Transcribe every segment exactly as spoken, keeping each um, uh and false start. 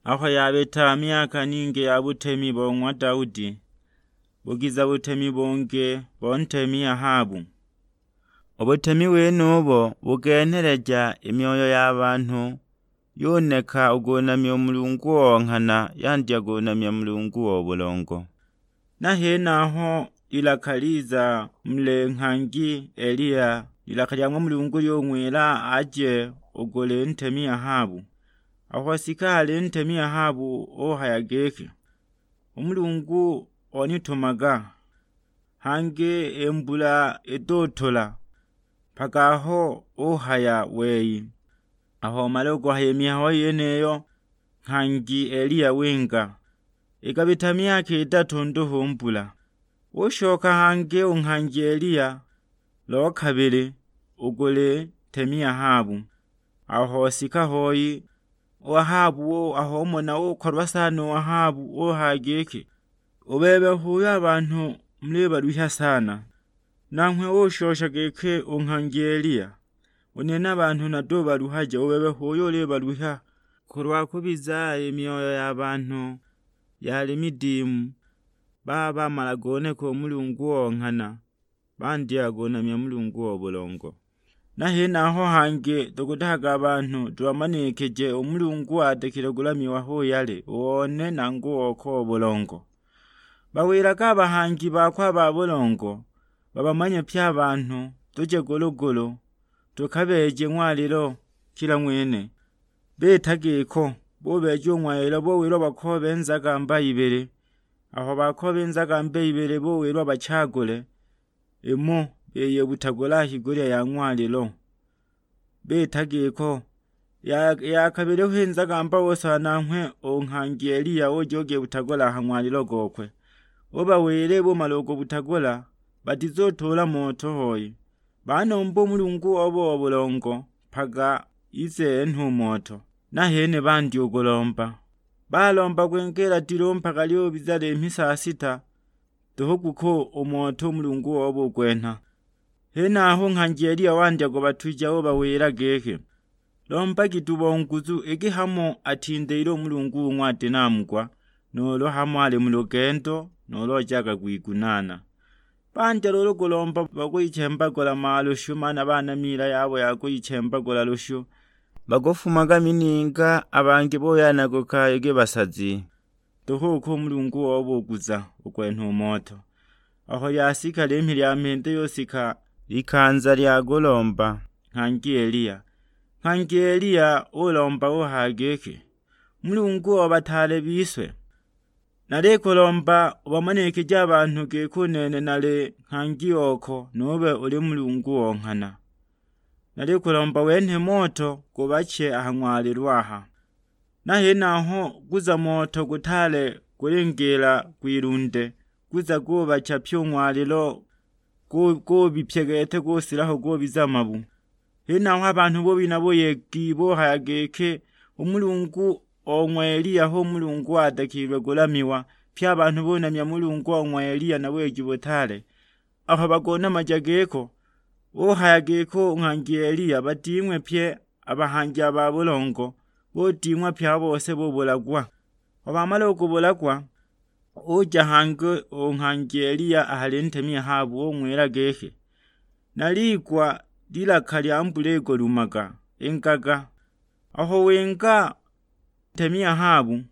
Aho yabita myaka ningi ya butemi bo ng'wa Daudi, bugiza butemi bungi bo ntemi Ahabu. U butemi wenubo bugenheleja i myoyo ya banhu, yuneka u kunamya u Mulungu o nghana, yandya kunamya Mulungu o bulongo. Na henaho ilaka liza muli nghangi Eliya, ilaka lya ng'wa Mulungu lyung'wila aje u kuli ntemi Ahabu. Aho sika hali ntemi Ahabu uhaya giki, "U Mulungu onitumaga, hangi i mbula itutula mpaka aho uhaya wei." Aho umala u kuhaya i mihayo yeniyo, nghangi Eliya winga. Ikabita myaka idatu nduhu mbula. Ushoka hangi u nghangi Eliya lo kabili u kuli ntemi Ahabu. Aho sika hoi, u Ahabu u-, aho umona ukolwa sana u Ahabu, uhaya giki, "U bebe h'uyo a banhu mulibalwihya sana." Nanghwe ushosha giki u nghangi Eliya, "U nene a banhu natubaluhaja, u bebe h'uyo ulibalwihya. Kulwa kubiza i myoyo ya banhu yali midimu, baba bamala goneka u Mulungu o nghana, bandya kunamya Mulungu o bulongo." Na henaho hangi tukutahaga a banhu tubamanikije u Mulungu adakile kulamiwa hu yali, u one nangu oko o bulongo. Bawilage a bahangi bakwe a ba bulongo, babamanye pye a banhu, tuje gulu-gulu, tukabeeje ng'walilo kila ng'wene. Bita giko, bubeeja u ng'walilo, buwilwa bakoobe nzagamba ibili. Aho bakooba i nzagamba ibili, buwilwa bachagule imo, biyibutagula a higulya ya ng'walilo. Bita giko, ya, ya kabili hu i nzagamba ose nanghwe u nghangi Eliya uja ugibutagula a ha ng'walilo gokwe. Ubawila bumala u kubutagula, batizutuula moto hoi. Banomba u Mulungu wabo wa bulongo mpaka ize enhe u moto. Nahene bandya u kulomba. Balomba kwingiila dilu mpaka lyubiza limhi saa sita, duhu guko u moto u Mulungu wabo ugwenha. Henaho nghangi Eliya wandya kubatuja, ubawila giki, "Lombagi duhu bo nguzu, iki hamo atindiile u Mulungu ung'wadinamugwa, nuulu hamo ali mu lugendo, nuulu ojaga kwigunaana." Bandya luulu kulomba, bakuyichembagula malushu, maana baana miila yabo ya kuyichembagula lushu. Bakufumaga mininga, a bangi buyanaguka iki basazi. Duhu uko u Mulungu obuguza u kwenha u moto. Aho lyasika limhi lya mhindi yusika likanza lya kulomba nghangi Eliya. Nghangi Eliya ulomba uhaya giki, "Mulungu o bataale bise, nalikulomba ubamanikije a banhu giki u nene nali nghangi oko, nube uli Mulungu o nghana. Nalikulomba wenhe moto gubache a ha ng'walilo aha." Na henaho guza moto gutaale gulingiila kwilunde, guza gubacha pye u ng'walilo, gu-, gubipya gete gusila ho gubiza mabu. Henaho a banhu bubina buyegi, buhaya giki, "U Mulungu o ng'wa Eliya hu Mulungu adakilwe kulamiwa." Pye a banhu bunamya Mulungu o ng'wa Eliya na buyegi butaale. Aho bagunamaja giko, uhaya giko u nghangi Eliya bading'we pye a bahangi a ba bulongo, buding'wa pye a bose bubulagwa. Aho bamala u kubulagwa, uja hangi u nghangi Eliya a hali ntemi Ahabu, ung'wila giki, "Naliigwa lilaka lya mbula igulumaga, ingaga." Aho winga ntemi Ahabu,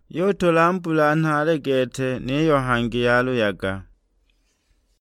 yutula mbula nhaale gete, niyo hangi yaluyaga.